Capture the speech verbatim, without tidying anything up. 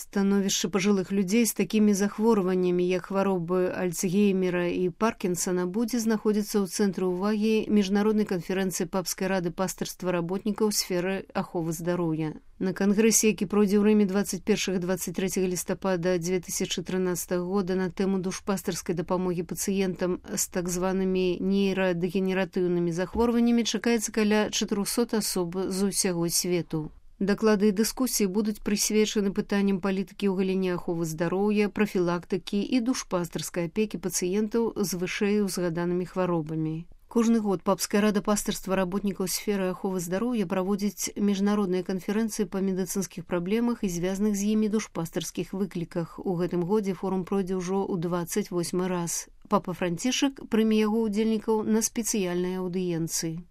Становішча пажылых людзей з такімі захворваннямі, як хваробы Альцгеймера і Паркінсона, будзе знаходзіцца ў цэнтры ўвагі міжнароднай канферэнцыі Папскай рады пастырства работнікаў сферы аховы здароўя. На кангрэсе, які пройдзе ў Рыме двадцать першага - двадцать трэцяга лістапада две тысячы трынаццатага года на тэму душпастырскай дапамогі пацыентам з так званымі нейрадэгенератыўнымі захворваннямі, чакаецца каля чатырохсот асоб з усяго свету. Даклады і дыскусіі будуць прысвечаны пытанням палітыкі ў галіне аховы здароўя, прафілактыкі і душпастырскай апекі пацыентаў з вышэй узгаданымі хваробамі. Кожны год Папская рада пастырства работнікаў сферы аховы здароўя праводзіць міжнародныя канферэнцыі па медыцынскіх праблемах і звязаных з імі душпастырскіх выкліках. У гэтым годзе форум пройдзе ўжо ў дваццаць восьмы раз. Папа Францішак прыме яго ўдзельнікаў на спецыяльнай аўдыенцыі.